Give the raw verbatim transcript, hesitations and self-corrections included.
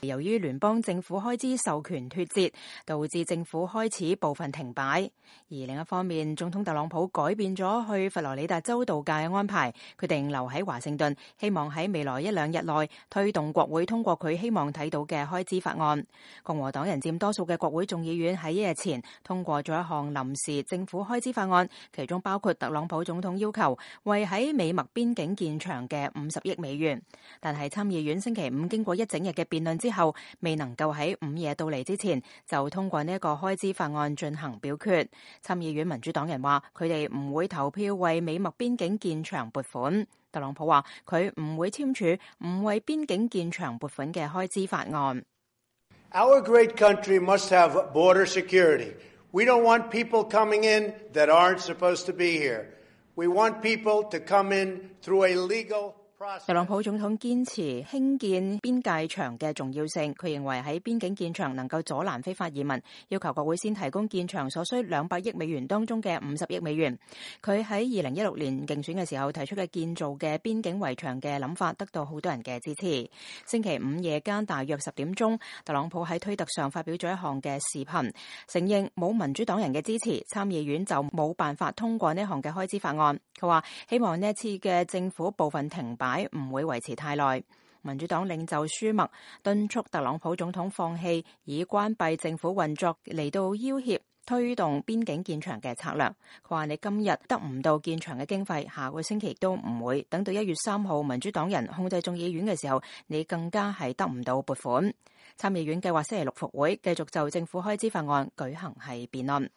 由於聯邦政府開支授權脫節，導致政府開始部分停擺。而另一方面，總統特朗普改變咗去佛羅里達州度假嘅安排，決定留喺華盛頓，希望喺未來一兩日內推動國會通過佢希望睇到嘅開支法案。共和黨人佔多數嘅國會眾議院喺一日前通過咗一項臨時政府開支法案，其中包括特朗普總統要求為喺美墨邊境建牆嘅五十億美元。但係參議院星期五經過一整日嘅辯論之後，未能夠喺午夜到嚟之前就通過呢一個開支法案進行表決。參議院民主黨人話佢哋唔會投票為美墨邊境建牆撥款。特朗普話佢唔會簽署唔為邊境建牆撥款嘅開支法案。Our great country must have border security. We don't want people coming in that aren't supposed to be here. We want people to come in through a legal process. 特朗普總統堅持興建邊界牆嘅重要性，佢認為喺邊境建牆能夠阻攔非法移民，要求國會先提供建牆所需兩百億美元當中嘅五十億美元。佢喺二零一六年競選嘅時候提出嘅建造嘅邊境圍牆嘅諗法得到好多人嘅支持。星期五夜間大約十點鐘，特朗普喺推特上發表咗一項嘅視頻，承認冇民主黨人嘅支持，參議院就冇辦法通過呢項嘅開支法案。佢話希望呢一次嘅政府部分停擺唔會維持太耐。民主黨領袖舒默敦促特朗普總統放棄以關閉政府運作嚟到要挾推動邊境建牆嘅策略。佢話你今日得唔到建牆嘅經費，下個星期都唔會。等到一月三號民主黨人控制眾議院嘅時候，你更加係得唔到撥款。參議院計劃星期六復會，繼續就政府開支法案舉行係辯論。